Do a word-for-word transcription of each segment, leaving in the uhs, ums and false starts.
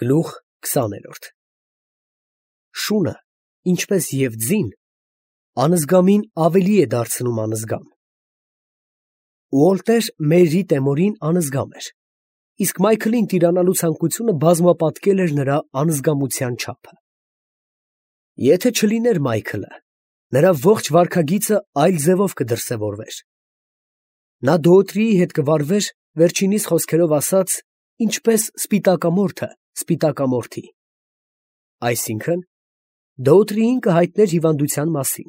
Գլուխ քսաներորդ Շունը, ինչպես և ձին, անզգամին ավելի է դարձնում անզգամ։ Ուոլտեր Մերի Տեմորին անզգամ էր, իսկ Մայքլին տիրանալու ցանկությունը բազմապատկել էր նրա անզգամության չափը։ Եթե չլիներ Մայքլը, նրա ողջ վարքագիծը այլ ձևով կդրսևորվեր։ Նա Դոոթրիի հետ կվարվեր, վերջինիս խոսքերով ասած, ինչպես սպիտակամորթը սպիտակամորթի, այսինքն Դոոթրիին կհայտներ հիվանդության մասին,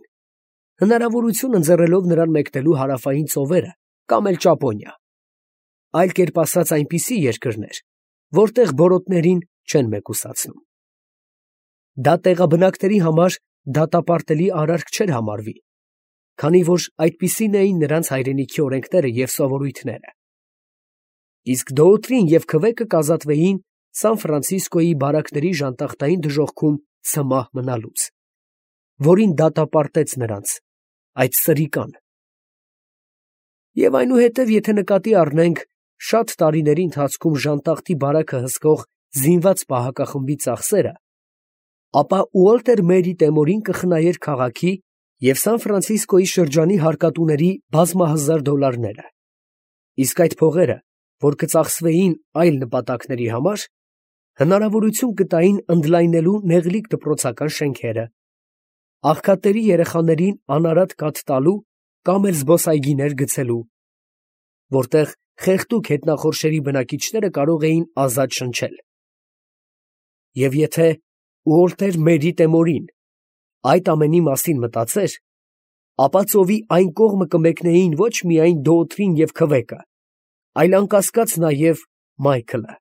հնարավորություն ընձեռելով նրան մեկնելու հարավային ծովերը կամ էլ Ճապոնիա, այլ կերպ ասած այնպիսի երկրներ, որտեղ բորոտներին չեն մեկուսացնում։ Դա տեղաբնակների համար դատապարտելի արարք չէր համարվի, քանի որ այդպիսին էին նրանց հայրենիքի օրենքները և սովորույթները։ Իսկ Դոոթրին և քվեկը կազատվեին Սան Ֆրանցիսկոյի բարակների ժանտախտային դժոխքում ցմահ մնալուց, որին դատապարտեց նրանց այդ սրիկան։ Եվ այնուհետև, եթե նկատի առնենք շատ տարիների ընթացքում ժանտախտի բարակը հսկող զինված պահակախմբի ծախսերը, ապա Ուոլտեր Մերի Տեմորին կխնայեր քաղաքի և Սան Ֆրանցիսկոյի շրջանի հարկատուների բազմահազար դոլարները, իսկ այդ փողերը, որ կծախսվեին այլ նպատակների համար, հնարավորություն կտային ընդլայնելու նեղլիկ դպրոցական շենքերը, աղքատների երեխաներին անարատ կաթ տալու կամ էլ զբոսայգիներ գցելու, որտեղ խեղդուկ հետնախորշերի բնակիչները կարող էին ազատ շնչել։ Եվ եթե Ուոլտեր Մերի Տեմորին այդ ամենի մասին մտածեր, ապա ծովի այն կողմը կմեկնեին ոչ միայն Դոոթրին և քվեկը, այլ անկասկած նաև Մայքլը։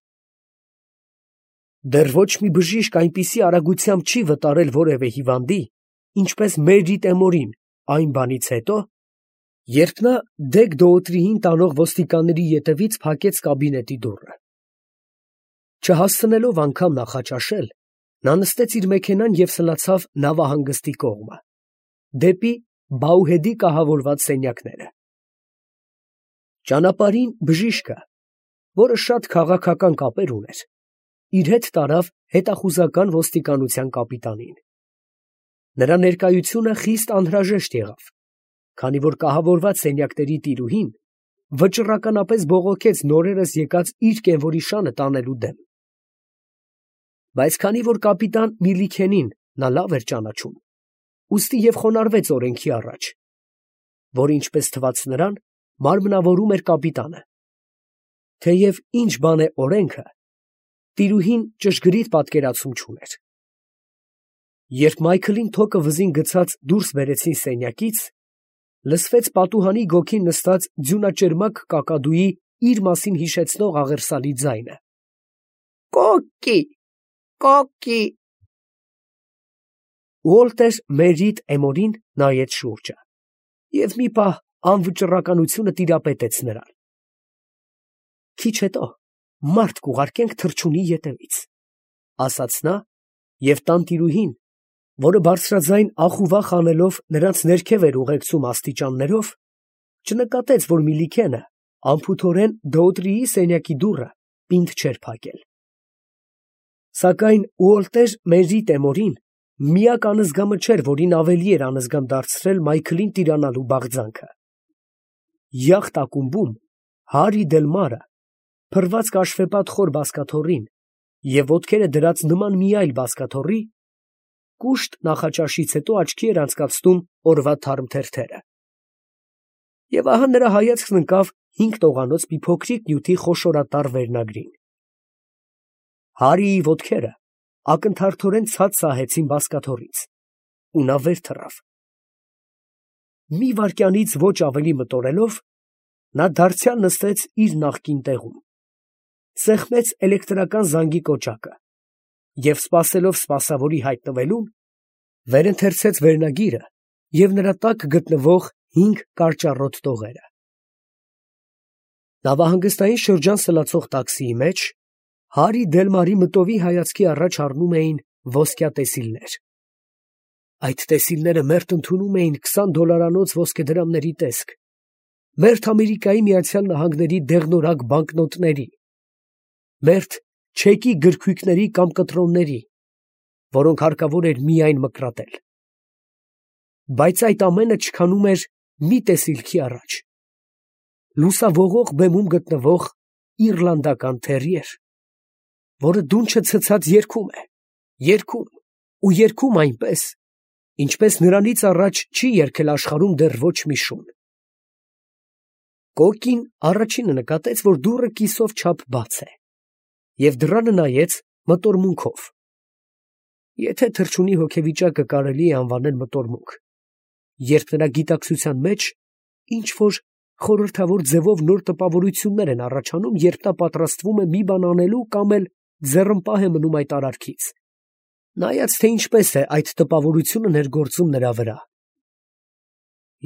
Դեռ ոչ մի բժիշկ այնպիսի արագությամբ չի վտարել որևէ հիվանդի, ինչպես Մերի Տեմորին այն բանից հետո, երբ նա դեպ Դոոթրիին տանող ոստիկանների ետևից փակեց կաբինետի դուռը։ Չհասցնելով անգամ նախաճաշել, նա նստեց իր մեքենան և սլացավ նավահանգստի կողմը, դեպի Բաուհեդի կահավորված սենյակները։ Ճանապարհին բժիշկը, որը շատ քաղաքական կապեր ուներ, իր հետ տարավ հետախուզական ոստիկանության կապիտանին։ Նրա ներկայությունը խիստ անհրաժեշտ եղավ, քանի որ կահավորված սենյակների տիրուհին վճռականապես բողոքեց նորերս եկած իր կենվորի շանը տանելու դեմ։ Բայց քանի որ կապիտան Միլիքենին նա լավ էր ճանաչում, ուստի և խոնարհվեց օրենքի առաջ, որ ինչպես թվաց նրան, մարմնավորում էր կապիտանը։ Թեև ինչ բան է օրենքը, տիրուհին ճշգրիտ պատկերացում չուներ։ Երբ Մայքլին թոկը վզին գցած դուրս բերեցին սենյակից, լսվեց պատուհանի գոգին նստած ձյունաճերմակ կակադուի իր մասին հիշեցնող աղերսալի ձայնը. «Կոկկի, կոկկի»։ Ուոլտեր Մերի Տեմորին նայեց շուրջը և մի պահ անվճռականությունը տիրապետեց նրան։ «Քիչ հետո մարդ կուղարկենք թռչունի ետևից», ֊ ասաց նա, և տանտիրուհին, որը բարձրաձայն ախ ու վախ անելով նրանց ներքև էր ուղեկցում աստիճաններով, չնկատեց, որ Միլիքենը անփութորեն Դոոթրիի սենյակի դուռը պինդ չէր փակել։ Սակայն Ուոլտեր Մերի Տեմորին միակ անզգամը չէր, որին ավելի էր անզգամ դարձրել Մայքլին տիրանալու բաղձանքը։ Յախտ ակումբում Հարի Դելմարը, փռված կաշվեպատ խոր բազկաթոռին և ոտքերը դրած նման մի այլ բազկաթոռի, կուշտ նախաճաշից հետո աչքի էր անցկացնում օրվա թարմ թերթերը։ Եվ ահա նրա հայացքն ընկավ հինգ տողանոց մի փոքրիկ նյութի խոշորատառ վերնագրին։ Հարիի ոտքերը ակնթարթորեն ցած սահեցին բազկաթոռից, ու նա վեր թռավ։ Մի վայրկյանից ոչ ավելի մտորելով, նա դարձյալ նստեց իր նախկին տեղում, սեղմեց էլեկտրական զանգի կոճակը և, սպասելով սպասավորի հայտնվելուն, վերընթերցեց վերնագիրը և նրա տակ գտնվող հինգ կարճառոտ տողերը։ Նավահանգստային շրջան սլացող տաքսիի մեջ Հարի Դելմարի մտովի հայացքի առաջ առնում էին ոսկյա տեսիլներ։ Այդ տեսիլները մերթ ընդունում էին քսան դոլարանոց ոսկեդրամների տեսք, մերթ Ամերիկայի Միացյալ Նահանգների դեղնորակ բանկնոտների, մերթ չեկի գրքույկների կամ կտրոնների, որոնք հարկավոր էր միայն մկրատել։ Բայց այդ ամենը չքանում էր մի տեսիլքի առաջ. լուսավողող բեմում գտնվող իռլանդական թերիեր, որը դունչը ցցած երգում է, երգում ու երգում այնպես, ինչպես նրանից առաջ չի երգել աշխարհում դեռ ոչ մի շուն։ Կոկին առաջինը նկատեց, որ դուռը կիսով չափ բաց է, և դռանը նայեց մտորմունքով։ Եթե թռչունի հոգեվիճակը կարելի է անվանել մտորմունք, երբ նրա գիտակցության մեջ ինչ որ խորհրդավոր ձևով նոր տպավորություններ են առաջանում, երբ նա պատրաստվում է մի բան անելու կամ էլ ձեռնպահ է մնում այդ արարքից, նայած թե ինչպես է այդ տպավորությունը ներգործում նրա վրա։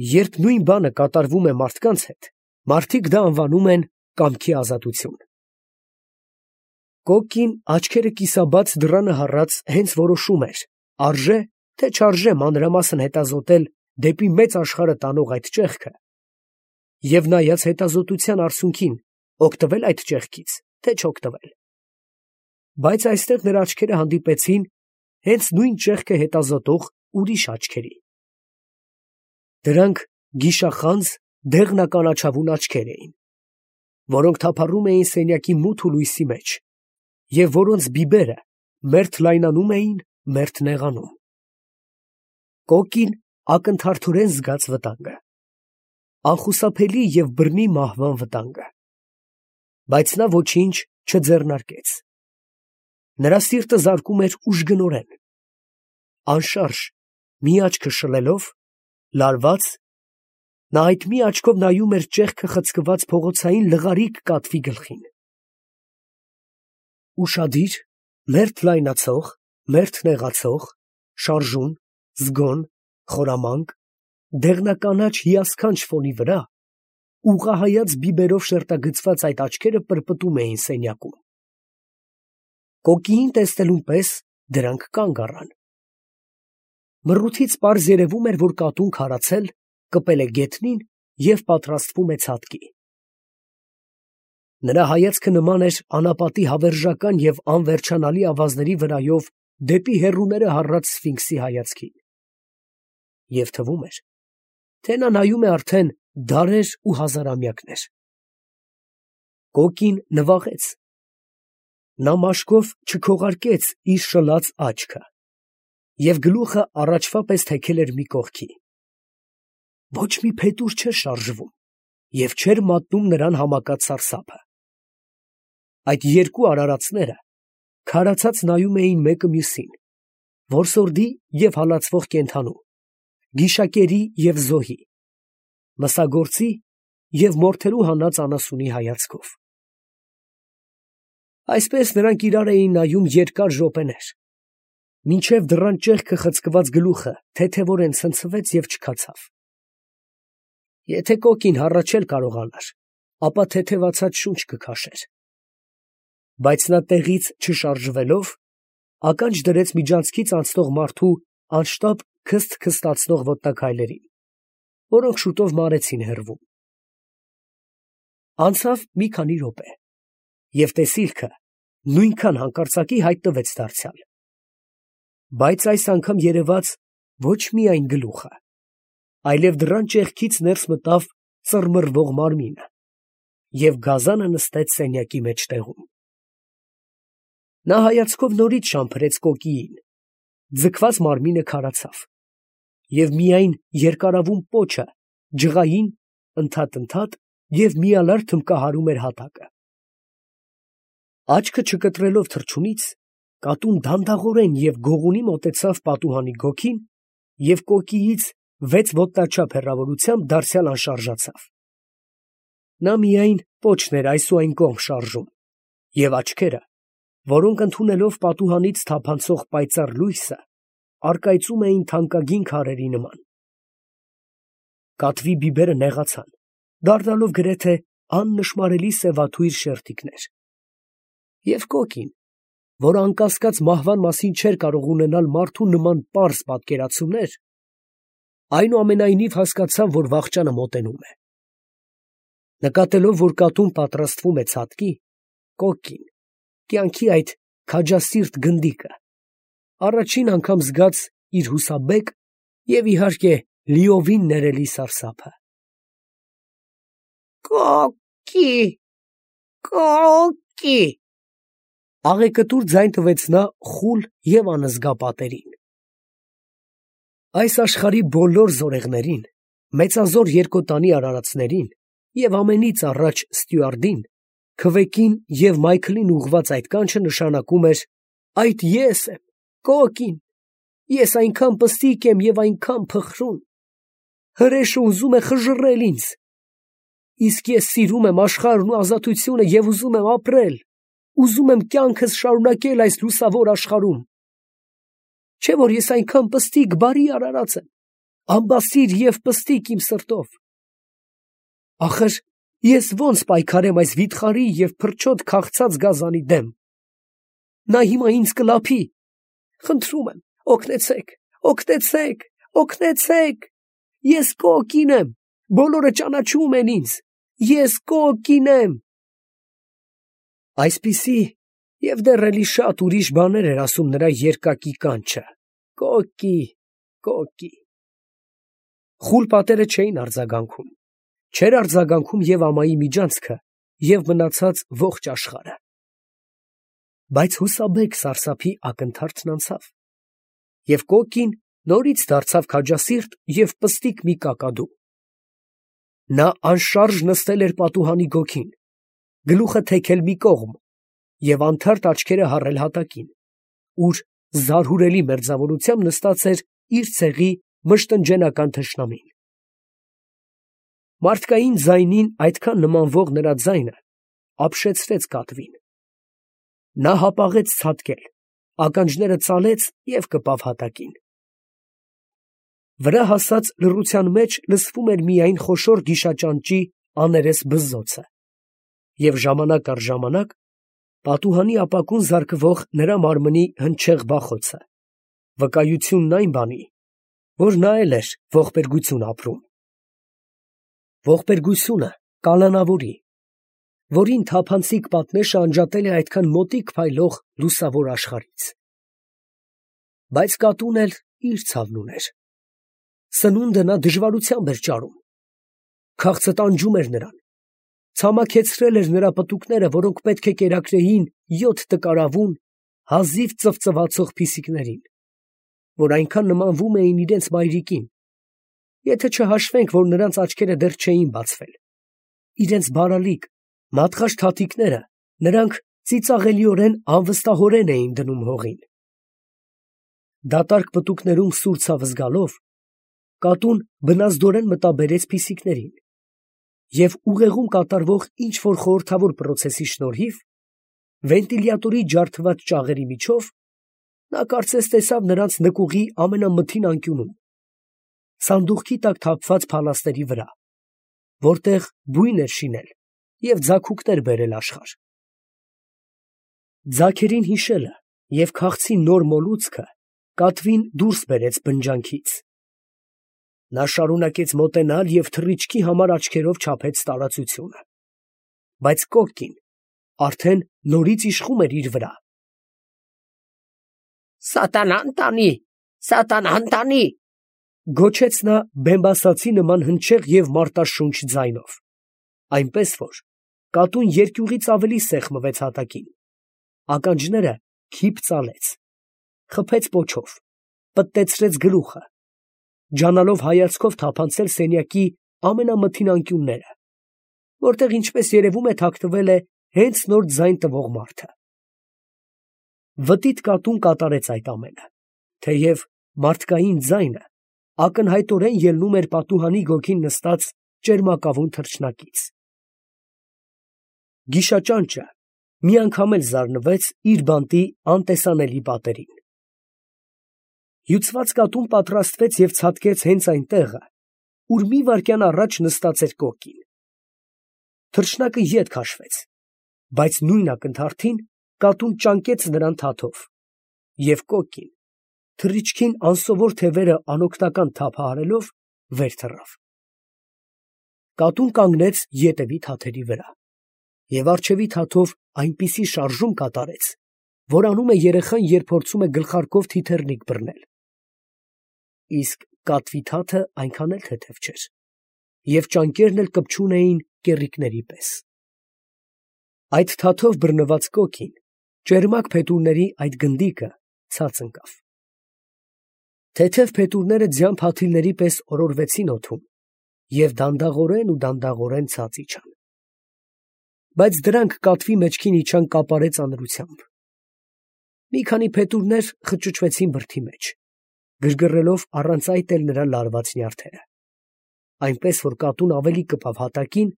Երբ նույն բանը կատարվում է մարդկանց հետ, մարդիկ դա անվանում են կամքի ազատություն։ Կոկին աչքերը կիսաբաց դռանը հառած հենց որոշում էր, արժե թե չարժե մանրամասն հետազոտել դեպի մեծ աշխարհը տանող այդ ճեղքը, և նայած հետազոտության արսունքին, օգտվել այդ ճեղքից, թե չօգտվել։ Բայց այստեղ նրա աչքերը հանդիպեցին հենց նույն ճեղքը հետազոտող ուրիշ աչքերի։ Դրանք գիշախանձ դեղնականաչավուն աչքեր էին, որոնք թափառում էին սենյակի մութ ու լույսի մեջ, և որոնց բիբերը մերթ լայնանում էին, մերթ նեղանում։ Կոկին ակնթարթորեն զգաց վտանգը, անխուսափելի և բռնի մահվան վտանգը, բայց նա ոչինչ չձեռնարկեց։ Նրա սիրտը զարկում էր ուժգնորեն, անշարժ մի աչքը շլելով, լարված, նա այդ մի աչքով նայում էր ճեղքը խցկված փողոցային լղարիկ կատվի գլխին։ Ուշադիր, մերթ լայնացող, մերթ նեղացող, շարժուն, զգոն, խորամանկ, դեղնականաչ հիասքանչ ֆոնի վրա ուղղահայաց բիբերով շերտագծված այդ աչքերը պրպտում էին սենյակում։ Կոկիին տեսնելուն պես դրանք կանգ առան։ Մռութից պարզ երևում էր, որ կատուն քարացել, կպել է գետնին և պատրաստվում է ցատկի։ Նրա հայացքը նման էր անապատի հավերժական և անվերջանալի ավազների վրայով դեպի հեռուները հառած սֆինքսի հայացքին։ Եվ թվում էր, թե նա նայում է արդեն դարեր ու հազարամյակներ։ Կոկին նվաղեց։ Նա մաշկով չքողարկեց իր շլած աչքը և գլուխը առաջվա պես թեքել էր մի կողքի։ Ոչ մի փետուր չէր շարժվում և չէր մատնում նրան համակած սարսափը։ Այդ երկու արարածները քարացած նայում էին մեկը մյուսին, որսորդի և հալածվող կենդանու, գիշակերի և զոհի, մսագործի և մորթերու հանած անասունի հայացքով։ Այսպես նրանք իրար էին նայում երկար րոպեներ, մինչև դռան ճեղքը խցկված գլուխը թեթևորեն ցնցվեց և չքացավ։ Եթե Կոկին հառաչել կարողանար, ապա թեթևացած շունչ կքաշեր։ Բայց նա տեղից չշարժվելով, ականջ դրեց միջանցքից անցնող մարդու անշտապ քսթ֊քստացնող ոտնաքայլերին, որոնք շուտով մարեցին հեռվում։ Անցավ մի քանի րոպե, և տեսիլքը նույնքան հանկարծակի հայտնվեց դարձյալ։ Բայց այս անգամ երևաց ոչ միայն գլուխը, այլև դռան ճեղքից ներս մտավ ծռմռվող մարմինը, և գազանը նստեց սենյակի մեջտեղում։ Նա հայացքով նորից շամփրեց Կոկիին, ձգված մարմինը քարացավ, և միայն երկարավուն պոչը ջղային ընդհատ֊ընդհատ և միալար թմբկահարում էր հատակը։ Աչքը չկտրելով թռչունից, կատուն դանդաղորեն և գողունի մոտեցավ պատուհանի գոգին և Կոկիից վեց ոտնաչափ հեռավորությամբ դարձյալ անշարժացավ։ Նա միայն պոչն էր այս ու այն կողմ շարժում, և աչքերը, որոնք ընդունելով պատուհանից թափանցող պայծառ լույսը, առկայծում էին թանկագին քարերի նման։ Կատվի բիբերը նեղացան, դառնալով գրեթե աննշմարելի սևաթույր շերտիկներ։ Եվ Կոկին, որ անկասկած մահվան մասին չէր կարող ունենալ մարդու նման պարզ պատկերացումներ, այնուամենայնիվ հասկացավ, որ վախճանը մոտենում է։ Նկատելով, որ կատուն պատրաստվում է ցատկի, Կոկին, կյանքի այդ քաջասիրտ գնդիկը, առաջին անգամ զգաց իր հուսաբեկ և իհարկե լիովին ներելի սարսափը։ Կոկի, կոկի, աղեկտուր ձայն տվեց նա խուլ և անզգա պատերին։ Այս աշխարհի բոլոր զորեղներին, մեծազոր երկոտանի արարածներին և ամենից առաջ ստյուարդին, քվեկին և Մայքլին ուղղված այդ կանչը նշանակում էր. «Այդ ես եմ, կոկին, ես այնքան պստիկ եմ և այնքան փխրուն, հրեշը ուզում է խժռել ինձ, իսկ ես սիրում եմ աշխարհն ու ազատությունը և ուզում եմ ապրել, ուզում եմ կյանքս շարունակել այս լուսավոր աշխարհում։ Չէ՞ որ ես այնքան պստիկ, բարի արարած եմ, անբասիր և պստիկ իմ սրտով։ Ախր ես ո՞նց պայքարեմ այս վիթխարի և փրչոտ քաղցած գազանի դեմ։ Նա հիմա ինձ կլափի։ Խնդրում եմ, օգնեցե՛ք, օգնեցե՛ք, օգնեցե՛ք, ես կոկին եմ, բոլորը ճանաչում են ինձ, ես կոկին եմ»։ Այսպիսի և դեռ էլի շատ ուրիշ բաներ էր ասում նրա երկակի կանչը. «Կոկի, կոկի»։ Խուլ պատերը չէին արձագանքում, չէր արձագանքում և ամայի միջանցքը, և մնացած ողջ աշխարհը։ Բայց հուսաբեկ սարսափի ակնթարթն անցավ, և կոկին նորից դարձավ քաջասիրտ և պստիկ մի կակադու։ Նա անշարժ նստել էր պատուհանի գոգին, գլուխը թեքել մի կողմ և անթարթ աչքերը հառել հատակին, ուր զարհուրելի մերձավորությամբ նստած էր իր ցեղի մշտնջենական թշնամին։ Մարդկային ձայնին այդքան նմանվող նրա ձայնը ապշեցրեց կատվին։ Նա հապաղեց ցատկել, ականջները ծալեց և կպավ հատակին։ Վրա հասած լռության մեջ լսվում էր միայն խոշոր գիշաճանճի աներես բզզոցը, և ժամանակ առ ժամանակ պատուհանի ապակուն զարկվող նրա մարմնի հնչեղ բախոցը, վկայությունն այն բանի, որ նա էլ էր ողբերգություն ապրում։ Ողբերգությունը կալանավորի, որին թափանցիկ պատնեշը անջատել է այդքան մոտիկ փայլող լուսավոր աշխարհից։ Բայց կատուն էլ իր ցավն ուներ։ Սնունդը նա դժվարությամբ էր ճարում։ Քաղցը տանջում էր նրան, ցամաքեցրել էր նրա պտուկները, որոնք պետք է կերակրեին յոթ տկարավուն, հազիվ ծվծվացող փիսիկներին, որ այնքան նմանվում էին իրենց մայրիկին, եթե չհաշվենք, որ նրանց աչքերը դեռ չէին բացվել, իրենց բարալիկ, մատղաշ թաթիկները նրանք ծիծաղելիորեն անվստահորեն էին դնում հողին։ Դատարկ պտուկներում սուր ցավը զգալով, կատուն բնազդորեն մտաբերեց փիսիկներին, և ուղեղում կատարվող ինչ֊որ խորհրդավոր պրոցեսի շնորհիվ, վենտիլյատորի ջարդված ճաղերի միջով, նա կարծես տեսավ նրանց նկուղի ամենամթին անկյունում, սանդուղքի տակ թափված փալաստերի վրա, որտեղ բույն էր շինել և ձագուկներ բերել աշխարհ։ Ձագերին հիշելը և քաղցի նոր մոլուցքը կատվին դուրս բերեց բնջանքից։ Նա շարունակեց մոտենալ և թռիչքի համար աչքերով չափեց տարածությունը, բայց կոկին արդեն նորից իշխում էր իր վրա։ «Սատանան տանի, սատանան տանի», գոչեց նա բեմբասացի նման հնչեղ և մարտաշունչ ձայնով, այնպես որ կատուն երկյուղից ավելի սեղմվեց հատակին, ականջները քիփ ծալեց, խփեց պոչով, պտտեցրեց գլուխը, ջանալով հայացքով թափանցել սենյակի ամենամթին անկյունները, որտեղ, ինչպես երևում է, թաքնվել է հենց նոր ձայն տվող մարդը։ Վտիտ կատուն կատարեց այդ ամենը, թեև մարդկային ձայնը ակնհայտորեն ելնում էր պատուհանի գոգին նստած ճերմակավուն թռչնակից։ Գիշաճանճը մի անգամ էլ զարնվեց իր բանտի անտեսանելի պատերին։ Հյուծված կատուն պատրաստվեց և ցատկեց հենց այն տեղը, ուր մի վայրկյան առաջ նստած էր կոկին։ Թռչնակը ետ քաշվեց, բայց նույն ակնթարթին կատուն ճանկեց նրան թաթով, և կոկին, թռիչքին անսովոր թևերը անօգնական թափահարելով, վեր թռավ։ Կատուն կանգնեց ետևի թաթերի վրա Եվ առջևի թաթով այնպիսի շարժում կատարեց, որ անում է երեխան, երբ փորձում է գլխարկով թիթեռնիկ բռնել. իսկ կատվի թաթը այնքան էլ թեթև չէր, և ճանկերն էլ կպչուն էին կեռիկների պես։ Այդ թաթով բռնված կոկին, ճերմակ փետուրների այդ գնդիկը ցած ընկավ։ Թեթև փետուրները ձյան փաթիլների պես օրորվեցին օդում և դանդաղորեն ու դանդաղորեն ցած իջան։ Բայց դրանք կատվի մեջքին իջան կապարե ծանրությամբ։ Մի քանի փետուրներ խճճվեցին բրդի մեջ, գրգռելով առանց այդ էլ նրա լարված նյարդերը, այնպես որ կատուն ավելի կպավ հատակին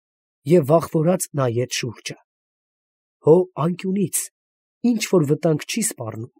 և վախվորած նայեց շուրջը։ Հո անկյունից ինչ որ վտանգ չի սպառնում։